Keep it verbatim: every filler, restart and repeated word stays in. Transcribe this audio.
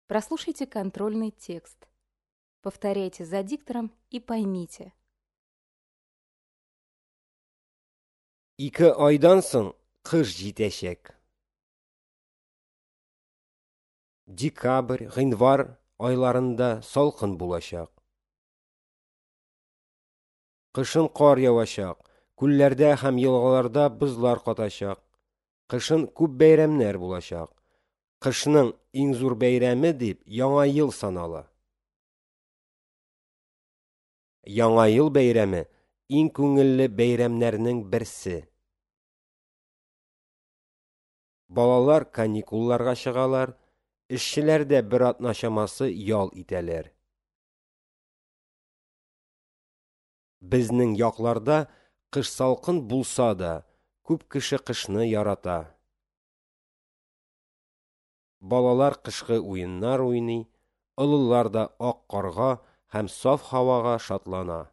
Прослушайте контрольный текст. Повторяйте за диктором и поймите. Ике айдан соң кыш җитәчәк. Декабрь, гыйнвар айларында салкын булачак. Кышын кар явачак, күлләрдә һәм елгаларда бозлар катачак. Кышын күп бәйрәмнәр булачак. Кышның иң зур бәйрәме дип Яңа ел санала. Яңа ел бәйрәме иң күңелле бәйрәмнәрнең берсе. Балалар каникулларга чыгалар, эшчеләр дә бер атна чамасы ял итәләр. Безнең якларда кыш салкын булса да, күп кеше кышны ярата. Балалар кышкы уеннар уйный, олылар да ак карга һәм саф һавага шатлана.